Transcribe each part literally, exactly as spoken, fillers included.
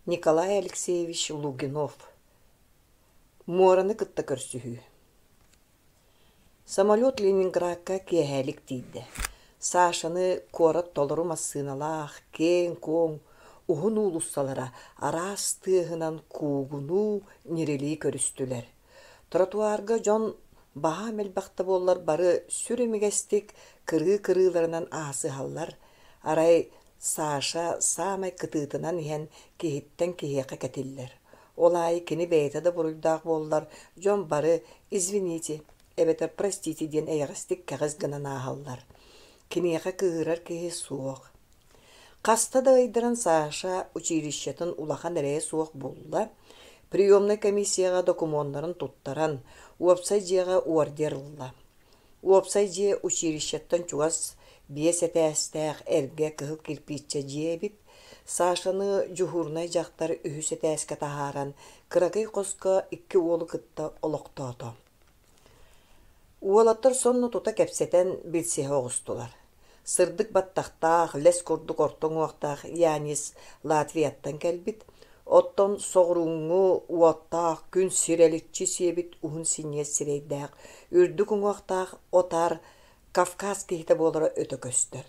Николай Алексеевич Лугинов Муораны кытта көрсүһүү Самолет Ленинградка киэһэлик тиийдэ. Сашаны куорат толору массыыналаах, киэҥ-куоҥ, уһун уулуссалара араас тыаһынан куугунуу, ньирилии көрүстүлэр. Тротуарга дьон баһаам элбэх да буоллар бары сүр имигэстик кырыы-кырыыларынан аасыһаллар, арай Саша саамай кытыытынан иһэн киһиттэн киһиэхэ кэтиллэр. Ол аайы кини бэйэтэ да буруйдаах буоллар, дьон бары «извините» эбэтэр «простите» диэн эйэҕэстик кэҕис гынан ааһаллар. Киниэхэ кыыһырар киһи суох. Хаста да ыйдаран Саша училищетын улахан эрэйэ суох булла, приемнай комиссияҕа докумуоннарын туттаран, уопсай дьиэҕэ ордер ылла. Уопсай дьиэ училищеттан чугас биэс этээстээх эргэ кыһыл кирпииччэ дьиэ эбит. Сашаны дьуһуурунай дьахтар үһүс этээскэ таһааран, кыракый хоско икки уолу кытта олохтоото. Уолаттар сонно тута кэпсэтэн билсиһэ оҕустулар. Сырдык баттахтаах, лэс курдук орто уҥуохтаах Янис Латвияттан кэлбит, оттон соҕурууҥҥу уоттаах күн сирэличчи сиэбит уһун синньиэс сирэйдээх, үрдүк уҥуохтаах Отар Кавказ киһитэ буолара өтө көстөр.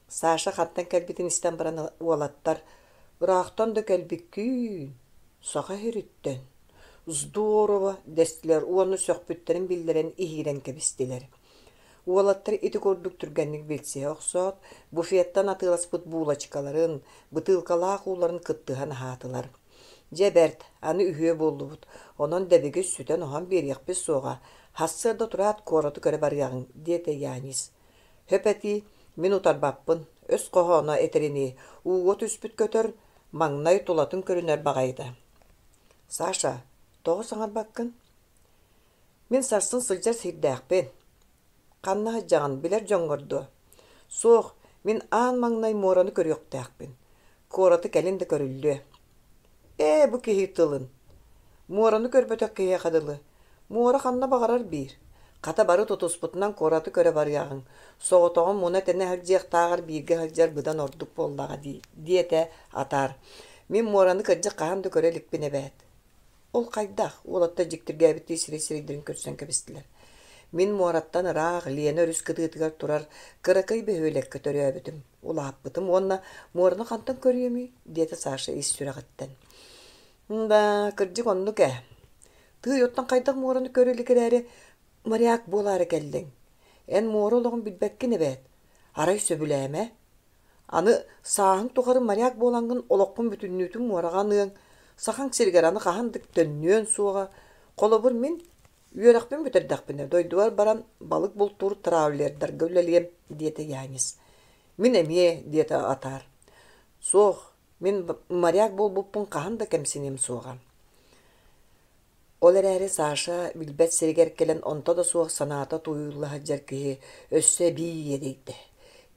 Саша хантан кэлбитин истэн баран уолаттар «Ыраахтан да кэлбиккиин, саха сириттэн, здорово» дэстилэр уонна сөхпүттэрин биллэрэн иһиирэн кэбистилэр. Уолаттар ити курдук түргэнник билсиһэ охсоот, буфеттан атыыласпыт булочкаларын, бытыылкалаах ууларын кыттыһан аһаатылар. Дьэ бэрт, аны үһүө буоллубут, онон дэбигис сүтэн-оһон биэриэхпит суоҕа, сарсыарда тураат куораты көрө барыаҕыҥ, диэтэ Янис. Сөп этии, мин утарбаппын, өс хоһооно этэринии, ууга түспүт көтөр маҥнай тулатын көрүнэр баҕайыта. Саша, тоҕо саҥарбаккын? Мин сарсын сылдьар сирдээхпин. Ханна сылдьаҕын билэр дьоҥҥор дуо? Суох, мин аан маҥнай муораны көрүөхтээхпин. Куораты кэлин да көрүллүө. Ээ, бу киһи тылын. Муораны көрбөтөх киһиэхэ дылы. Муора ханна баҕарар биир. Хата бары тутуспутунан куораты көрө барыаҕыҥ. Соҕотоҕун муна-тэнэ сылдьыахтааҕар бииргэ сылдьар быдан ордук буоллаҕа дии, диэтэ Атаар. Мин муораны кырдьык хаһан да көрө иликпин эбээт. Ол хайдах? Уолаттар дьиктиргээбиттии сирэй-сирэйдэрин көрсөн кэбистилэр. Мин муораттан ыраах Лена өрүс кытыытыгар турар кыракый бөһүөлэккэ төрөөбүтүм, улааппытым уонна муораны хантан көрүөмүй? диэтэ Саша ис сүрэҕиттэн. Да, кырдьык оннук ээ. Тыый, оттон хайдах муораны көрө илик эрээри моряк буолаары кэллиҥ? Эн муора олоҕун билбэккин эбээт. Арай сөбүлээмэ. Аны сааһыҥ тухары моряк буолаҥҥын олоххун бүтүннүүтүн муораҕа аныаҥ, сахаҥ сиригэр аны хаһан да төннүөн суоҕа. Холобур, мин үөрэхпин бүтэрдэхпинэ дойдубар баран балык бултуур траулердарга үлэлиэм, диэтэ Янис. Мин эмиэ, диэтэ Атаар. Суох, мин моряк буолбуппун хаһан да кэмсиниэм суоҕа. Ол эрээри Саша билбэт сиригэр кэлэн онто да суох санаата тууйулла сылдьар киһи өссө эбии иэдэйдэ.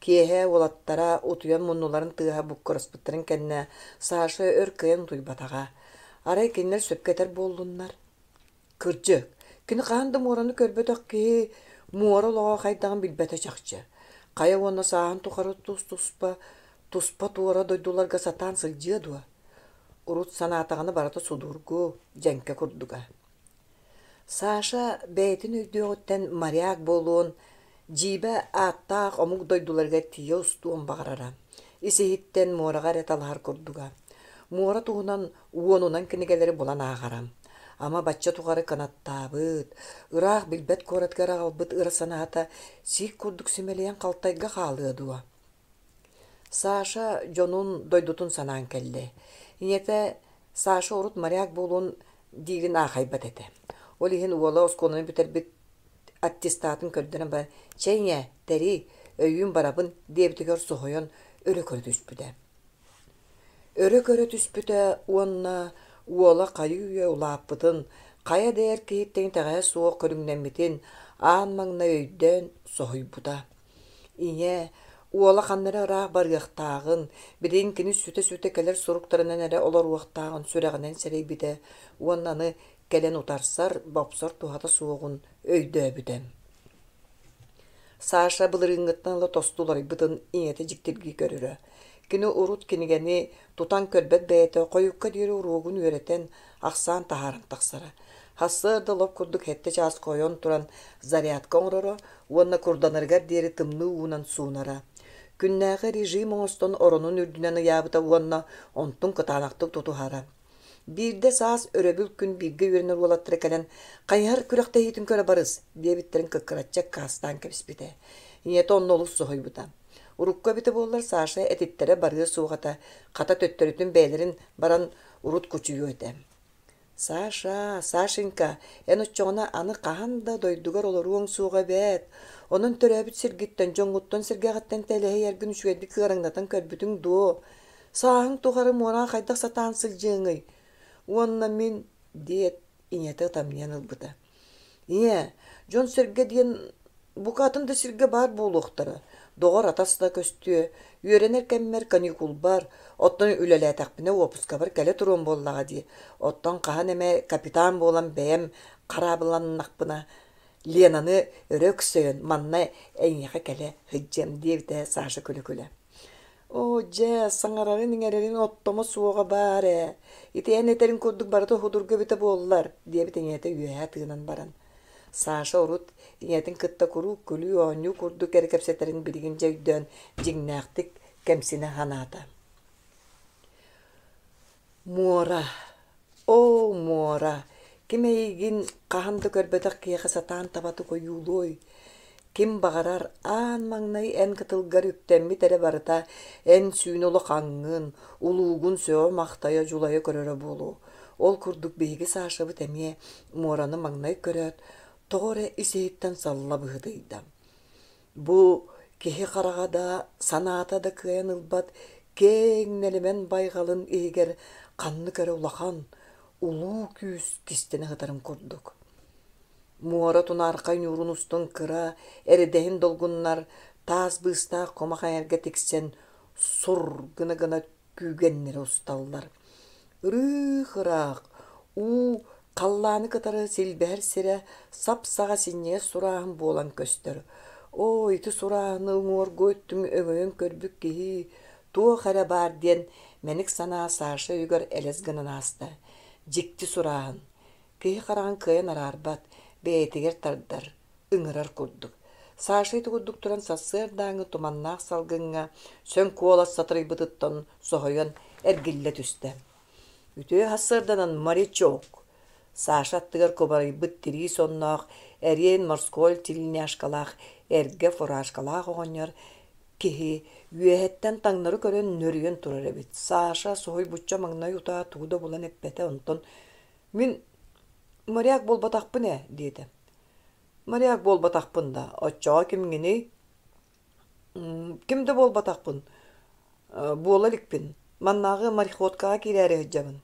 Киэһэ уолаттара утуйан муннуларын тыаһа буккураспыттарын кэннэ Саша өр кыайан утуйбатаҕа. Арай кинилэр сөпкө этэр буоллуннар? Кырдьык, кини хаһан да муораны көрбөтөх киһи муора олоҕо хайдаҕын билбэтэ чахчы. Хайа уонна сааһын тухары тус-туспа, туспа-туора дойдуларга сатаан сылдьыа дуо? Урут санаатаҕына барыта судургу, дьэҥкэ курдуга. Саша бэйэтин өйдүөҕүттэн моряк буолуон, дьиибэ ааттаах омук дойдуларыгар тиийэ устуон баҕарара. Ис-иһиттэн муораҕа эрэ талаһар курдуга. Муора туһунан уонунан кинигэлэри булан ааҕара. Ама бачча тухары кынаттаабыт, ыраах билбэт куоратыгар аҕалбыт ыра санаата сиик курдук симэлийэн халтайга хаалыа дуо? Саша дьонун, дойдутун санаан кэллэ. Ийэтэ Саша урут моряк буолуон диирин аахайбат этэ. Ол иһин уола оскуоланы бүтэрбит аттестатын көрдөрөн баран «Чэй ийээ, тэрий, өйүүн барабын» диэбитигэр соһуйан өрө көрө түспүтэ. Өрө көрө түспүтэ уонна уола хайыы-үйэ улааппытын, хайа да эр киһиттэн итэҕэһэ суох көрүҥнэммитин аан маҥнай өйдөөн соһуйбута. Ийэ, уола ханна эрэ ыраах барыахтааҕын, билигин кини сүтэ-сүтэ кэлэр суруктарынан эрэ олоруохтааҕын сүрэҕинэн сэрэйбитэ уонна аны кэлэн утарсар, бопсор туһата суоҕун өйдөөбүтэ. Саша былырыыҥҥыттан ыла тосту уларыйбытын ийэтэ дьиктиргии көрөрө. Кини урут кинигэни тутан көрбөт бэйэтэ хойукка диэри уруогун үөрэтэн, ахсаан таһааран тахсара. Сарсыарда лоп курдук сэттэ чааска ойон туран зарядка оҥороро уонна курданарыгар диэри тымныы уунан суунара. Күннээҕи режим оҥостон оронун үрдүнэн ыйаабыта уонна онтун кытаанахтык тутуһара. Биирдэ саас өрөбүл күн бииргэ үөрэнэр уолаттара кэлэн «Хайыһар күрэхтэһиитин көрө барыс» диэбиттэрин кыккыраччы аккаастаан кэбиспитэ. Ийэтэ онно олус соһуйбута. Урукку эбитэ буоллар Саша этиттэрэ барыа суох этэ, хата төттөрүтүн бэйэлэрин баран урут кучуйуо этэ. «Саша, Сашенька, эн оччоҕуна аны хаһан да дойдугар олоруоҥ суоҕа эбээт. Онон төрөөбүт сиргиттэн, дьоҥҥуттан-сэргэҕиттэн тэлэһийэргин үчүгэйдик ыараҥнатан көрбүтүҥ дуо? Сааһыҥ тухары муораҕа хайдах сатаан сылдьыаҥый? Уонна мин» диэт, ийэтэ ытамньыйан ылбыта. «Ийээ, дьон-сэргэ диэн бука атын да сиргэ баар буолуохтара, доҕор-атас да көстүө, үөрэнэр кэммэр каникулбар, оттон үлэлээтэхпинэ уоппускабар кэлэ туруом буоллаҕа дии, оттон хаһан эмэ капитан буолан бэйэм хараабыланнахпына, Ленаны өрө өксөйөн манна эйиэхэ кэлэ сылдьыам» диэбитэ Саша күлэ-күлэ. «Оо, дьэ, саҥарарын-иҥэрэрин оттомо суоҕа баар ээ, ити эн этэриҥ курдук барыта судургу эбитэ буоллар» диэбит ийэтэ үөһэ тыынан баран. Саша урут ийэтин кытта куруук күлүү-оонньуу курдук эрэ кэпсэтэрин билигин дьэ өйдөөн дьиҥнээхтик кэмсинэ санаата. Муора, оо, муора, ким эйигин хаһан да көрбөтөх киһиэхэ сатаан табатык ойуулуой? Ким баҕарар аан маҥнай эн кытылгар үктэммит эрэ барыта эн сүүнэ улахаҥҥын, улуугун сөҕө-махтайа дьулайа көрөрө буолуо. Ол курдук биһиги Сашабыт эмиэ муораны маҥнай көрөөт, тоҕо эрэ ис-иһиттэн салла быһыытыйда. Бу киһи хараҕа да, санаата да кыайан ылбат киэҥ нэлэмэн байҕалын иһигэр ханнык эрэ улахан, улуу күүс кистэнэ сытарын курдук. Муора тунаархай ньуурун устун кыра, эрэдэһин долгуннар таас быыстаах кумах эҥэргэ тиксэн сур гына-гына күүгэннэрэ усталлар. Ырыых-ыраах, уу халлааны кытары силбэһэр сирэ сап-саҕа синньигэс сурааһын буолан көстөр. Оо, ити сурааһыны уҥуоргу өттүн өҥөйөн көрбүт киһи туох эрэ баар диэн мэник санаа Саша өйүгэр элэс гынан ааста. Дьикти сурааһын. Киһи хараҕын кыайан араарбат, бэйэтигэр тардар, ыҥырар курдук. Саша ити курдук туран сарсыардааҥҥы туманнаах салгыҥҥа сөҥ куолас сатарыйбытыттан соһуйан эргиллэ түстэ. «Үтүө сарсыарданан, морячок!» Саша аттыгар кубарыйбыт тирии сонноох, эриэн морской тельняшкалаах, эргэ фуражкалаах оҕонньор киһи үөһэттэн таҥнары көрөн нөрүйэн турар эбит. Саша соһуйбучча маҥнай утаа тугу да булан эппэтэ, онтон «Мин моряк буолбатахпын ээ» диэтэ. «Моряк буолбатахпын да, оччоҕо кимҥиний?» «Ким да буолбатахпын, буола иликпин, маннааҕы мореходкаҕа киирээри сылдьабын».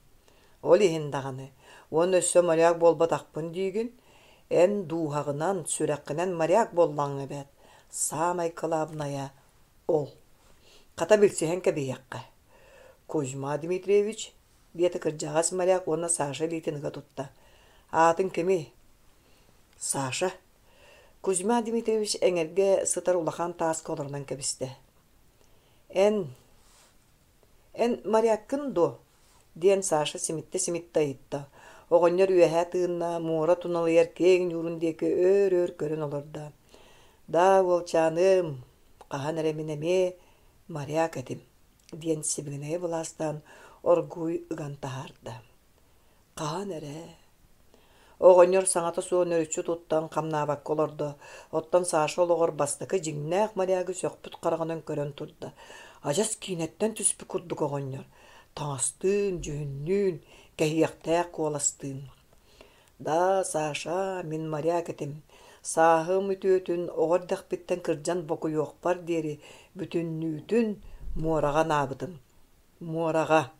«Ол иһин даҕаны, уонна өссө моряк буолбатахпын диигин, эн дууһаҕынан, сүрэххинэн моряк буоллаҕыҥ эбээт, саамай кылаабынайа ол. Хата билсиһэн кэбиһиэххэ». «Кузьма Дмитриевич», диэтэ кырдьаҕас моряк уонна Саша илиитин ыга тутта. «Аатыҥ кимий?» «Саша». Кузьма Дмитриевич эҥэргэ сытар улахан тааска олорунан кэбистэ. «Эн, эн моряккын дуо?» диэн Саша симиттэ-симиттэ ыйытта. Оҕонньор үөһэ тыынна, муора туналыйар киэҥ ньуурун диэки өөр-өр көрөн олордо. «Да, уолчааным, хаһан эрэ мин эмиэ моряк этим» диэн сибигинэйэ былаастаан оргууй ыган таһаарда. Хаһан эрэ Оҕонньор саҥата суох нөрүччү туттан хамнаабакка олордо, оттон Саша олоҕор бастакы дьиҥнээх морягы сөхпүт хараҕынан көрөн турда. Адьас киинэттэн түспүт курдук оҕонньор, таҥастыын, дьүһүннүүн, кэһиэхтээх куоластыын. «Да, Саша, мин моряк этим. Сааһым үтүөтүн оҕо эрдэхпиттэн кырдьан бокуйуохпар диэри бүтүннүүтүн муораҕа анаабытым. Муораҕа.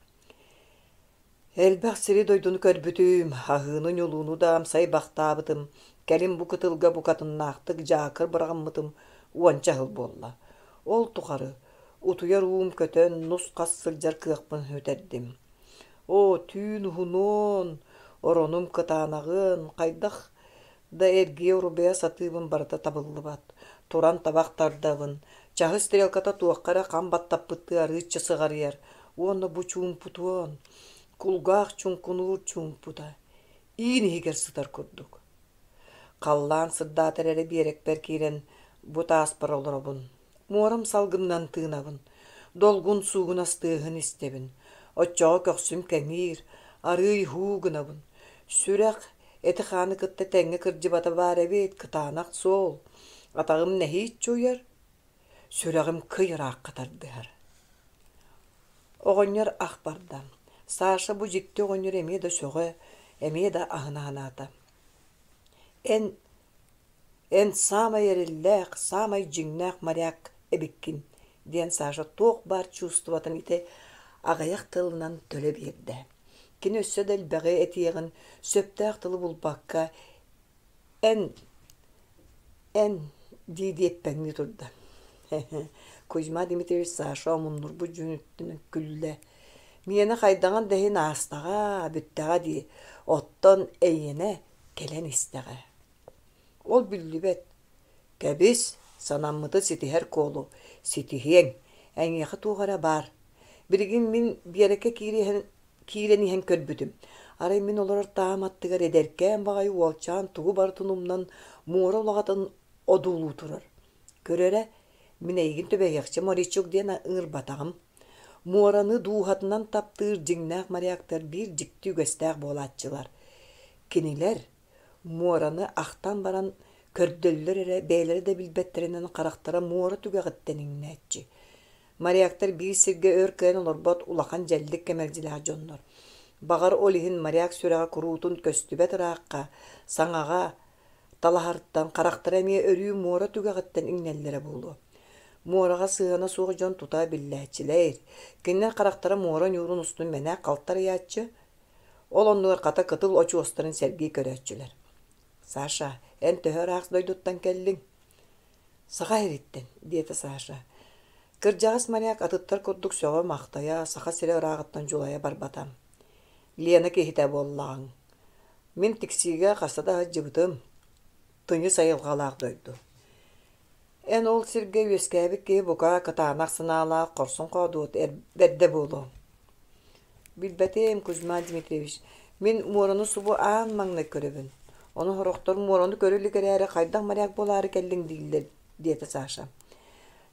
Элбэх сири-дойдуну көрбүтүм, аһыыны-ньулууну да амсайбахтаабытым, кэлин бу кытылга букатыннаахтык дьаакыр быраҕыммытым уонча сыл буолла. Ол тухары утуйар уум көтөн, нус-хас сылдьар кыахпын сүтэрдим. Оо, түүн уһунуон, оронум кытаанаҕын, хайдах да эргийэ-урбайа сатыыбын барыта табыллыбат. Туран табах тардабын, Чаһы стрелката туохха эрэ хам баттаппыттыы арыычча сыҕарыйар уонна бу чуумпутуон, кулгаах чуҥкунуур чуумпута, иин иһигэр сытар курдук. Халлаан сырдаатар эрэ биэрэкпэр киирэн бу тааспар олоробун. Муорам салгынынан тыынабын, долгун суугунас тыаһын истэбин. Оччоҕо көхсүм кэҥиир, арыый һуу гынабын. Сүрэх эти-хааны кытта тэҥҥэ кырдьыбата баар эбит, кытаанах суол. Атаҕым нэһииччэ уйар, сүрэҕим кый ыраахха тардыһар. Оҕонньор ах барда. Саша бу дьикти оҕонньор эмиэ да сөҕө, эмиэ да аһына санаата. Эн эн саамай эрэллээх, саамай дьиҥнээх моряк эбиккин, диэн Саша туох баар чувствотын ити аҕыйах тылынан төлө биэрдэ. Кини өссө да элбэҕи этиэҕин сөптөөх тылы булбакка эн эн дии-дии эппэҥнии турда. Кузьма Дмитриевич Саша омуннурбут дьүһүнүттэн күллэ. Миэнэ хайдаҕын да иһин аастаҕа, бүттэҕэ дии, оттон эйиэнэ кэлэн истэҕэ. Ол биллибэт. Кэбис, санаммыты ситиһэр куолу, ситиһиэҥ, эйиэхэ туох эрэ баар. Билигин мин Биэрэккэ киирэн, киирэн иһэн көрбүтүм. Арай мин олорор таам аттыгар эдэркээн баҕайы уолчаан тугу барытын умнан муора улаҕатын одуулуу турар. Көр эрэ, мин эйигин түбэһиэхчэ морячок диэн ыҥырбатаҕым. Муораны дууһатынан таптыыр дьиҥнээх моряктар биир дьикти үгэстээх буолааччылар. Кинилэр муораны ахтан баран көрдөллөр эрэ бэйэлэрэ да билбэттэринэн харахтара муора түгэҕиттэн иҥнээччи. Моряктар биир сиргэ өр кыайан олорбот улахан дьэллик кэмэлдьилээх дьоннор. Баҕар ол иһин моряк сүрэҕэ куруутун көстүбэт ыраахха, саҥаҕа талаһартан харахтара эмиэ өрүү муора түгэҕиттэн иҥнэллэрэ буолуо. Муораҕа сыһыана суох дьон тута биллээччилэр. Кинилэр харахтара муора ньуурун устун мэнээк халтарыйааччы, ол оннугар хата кытыл очуостарын сэргии көрөөччүлэр. Саша, эн төһө ыраах дойдуттан кэллиҥ? Саха сириттэн, диэтэ Саша. Кырдьаҕас моряк атыттар курдук сөҕө-махтайа, Саха сирэ ырааҕыттан дьулайа барбата. Лена киһитэ буоллаҕыҥ. Мин Тиксиигэ хаста да сылдьыбытым. Тыйыс айылҕалаах дойду. Эн ол сиргэ үөскээбит киһи бука кытаанах санаалаах хорсун хоодуот бэрдэ буолуо. Билбэтим, Кузьма Дмитриевич, мин муораны субу аан маҥнай көрөбүн. Ону сорохтор муораны көрө илик эрээри хайдах моряк буолаары кэллиҥ дииллэр, диэтэ Саша.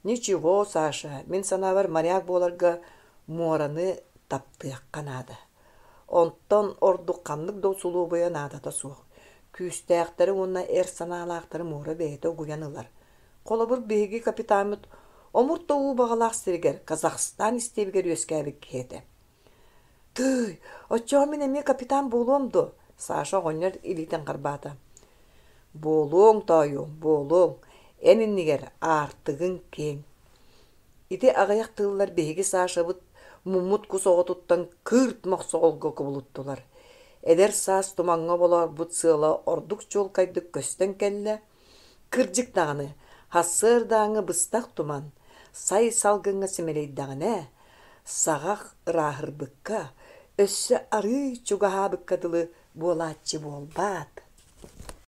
Ничего, Саша, мин санаабар моряк буоларга муораны таптыахха наада. Онтон ордук ханнык да усулуобуйа наадата суох. Күүстээхтэри уонна эр санаалаахтары муора бэйэтэ угуйан ылар. Холобур, биһиги капитаммыт омурт да уу баҕалаах сиригэр Казахстан истиэбигэр үөскээбит киһи этэ. Тыый, оччоҕо мин эмиэ капитан буолуом дуо? Саша оҕонньор илиитин харбаата. Буолуоҥ, тоойуом, буолуоҥ. Эн иннигэр аартыгыҥ киэҥ. Ити аҕыйах тыллар биһиги Сашабыт муммут кус оҕотуттан кыырт мохсоҕолго кубулуттулар. Эдэр саас тумаҥҥа болоорбут сыала ордук чуолкайдык көстөн кэллэ. Кырдьык даҕаны, сарсыардааҥҥы быстах туман, сай салгыҥҥа симэлийдэҕинэ, саҕах ырааһырбыкка, өссө арыый чугаһаабыкка дылы буолааччы буолбаат.